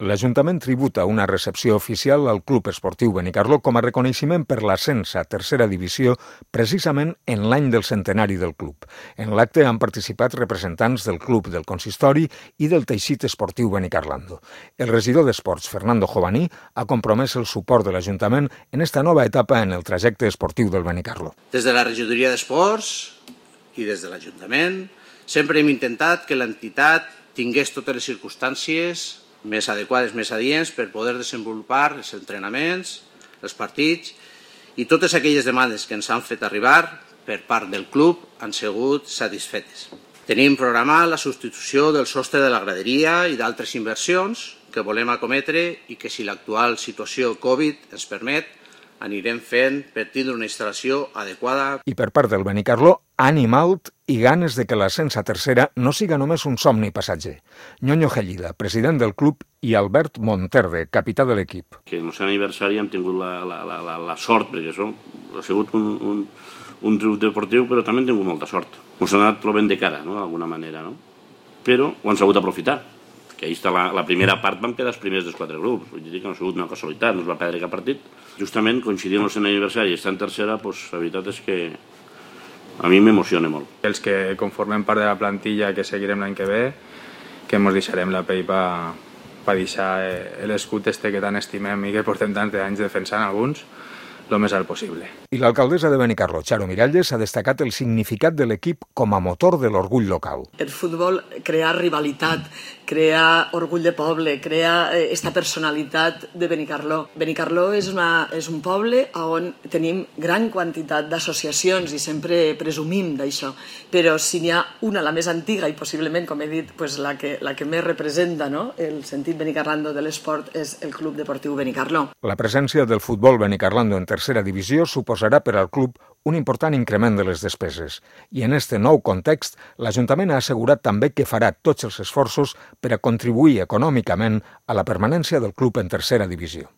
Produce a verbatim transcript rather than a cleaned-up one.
L'Ajuntament tributa una recepció oficial al Club Esportiu Benicarló com a reconeixement per l'ascens a tercera divisió precisament en l'any del centenari del club. En l'acte han participat representants del club, del consistori i del teixit esportiu benicarlando. El regidor d'Esports, Fernando Jovaní, ha compromès el suport de l'Ajuntament en esta nova etapa en el trajecte esportiu del Benicarló. Des de la regidoria d'Esports i des de l'Ajuntament sempre hem intentat que l'entitat tingués totes les circumstàncies més adequades, més adients per poder desenvolupar els entrenaments, els partits i totes aquelles demandes que ens han fet arribar per part del club han sigut satisfetes. Tenim programat la substitució del sostre de la graderia i d'altres inversions que volem acometre i que, si l'actual situació Covid ens permet, anirem fent per tindre una instal·lació adequada. I per part del Benicarló, ànim alt i ganes de que l'ascens a tercera no siga només un somni passatger. Ñoño Gellida, president del club, i Albert Monterde, capità de l'equip. Que en el seu aniversari hem tingut la, la, la, la, la sort, perquè això ha sigut un, un, un triomf deportiu, però també hem tingut molta sort. Ens ha anat plovent de cara, no?, d'alguna manera, no? Però ho han sabut aprofitar. Que ahí està la, la primera part, vam quedar els primers dels quatre grups. Vull dir que no ha sigut una casualitat, no es va perdre cap partit. Justament, coincidint el seu aniversari i estar en tercera, pues, la veritat és que a mi m'emociona molt. Els que conformem part de la plantilla que seguirem l'any que ve, que ens deixarem la pell per pa deixar l'escut este que tant estimem i que portem tants anys defensant alguns, el més alt possible. I l'alcaldessa de Benicarló, Charo Miralles, ha destacat el significat de l'equip com a motor de l'orgull local. El futbol crea rivalitat, crea orgull de poble, crea esta personalitat de Benicarló. Benicarló és, una, és un poble on tenim gran quantitat d'associacions i sempre presumim d'això, però si n'hi ha una, la més antiga i possiblement, com he dit, pues la, que, la que més representa, no?, el sentit benicarlando de l'esport és el Club Deportiu Benicarló. La presència del futbol benicarlando en tercera divisió suposarà per al club un important increment de les despeses. I en este nou context, l'Ajuntament ha assegurat també que farà tots els esforços per a contribuir econòmicament a la permanència del club en tercera divisió.